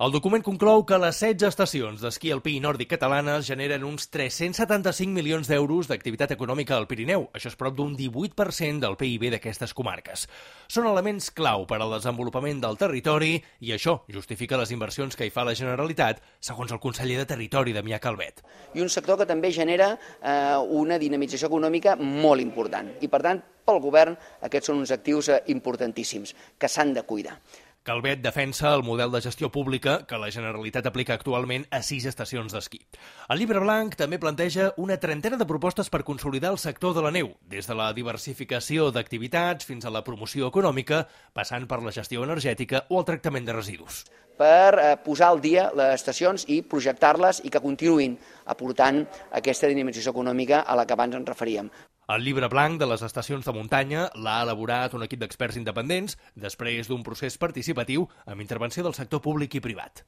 El document conclou que les 16 estacions d'esquí alpí i nòrdic catalanes generen uns 375 milions d'euros d'activitat econòmica al Pirineu. Això és prop d'un 18% del PIB d'aquestes comarques. Són elements clau per al desenvolupament del territori i això justifica les inversions que hi fa la Generalitat, segons el conseller de Territori, Damià Calvet. I un sector que també genera una dinamització econòmica molt important. I, per tant, pel govern, aquests són uns actius importantíssims que s'han de cuidar. Calvet defensa el model de gestió pública que la Generalitat aplica actualment a 6 estacions d'esquí. El llibre blanc també planteja una trentena de propostes per consolidar el sector de la neu, des de la diversificació d'activitats fins a la promoció econòmica, passant per la gestió energètica o el tractament de residus. Per posar al dia les estacions i projectar-les i que continuïn aportant aquesta dinamització econòmica a la que abans ens referíem. El llibre blanc de les estacions de muntanya l'ha elaborat un equip d'experts independents després d'un procés participatiu amb intervenció del sector públic i privat.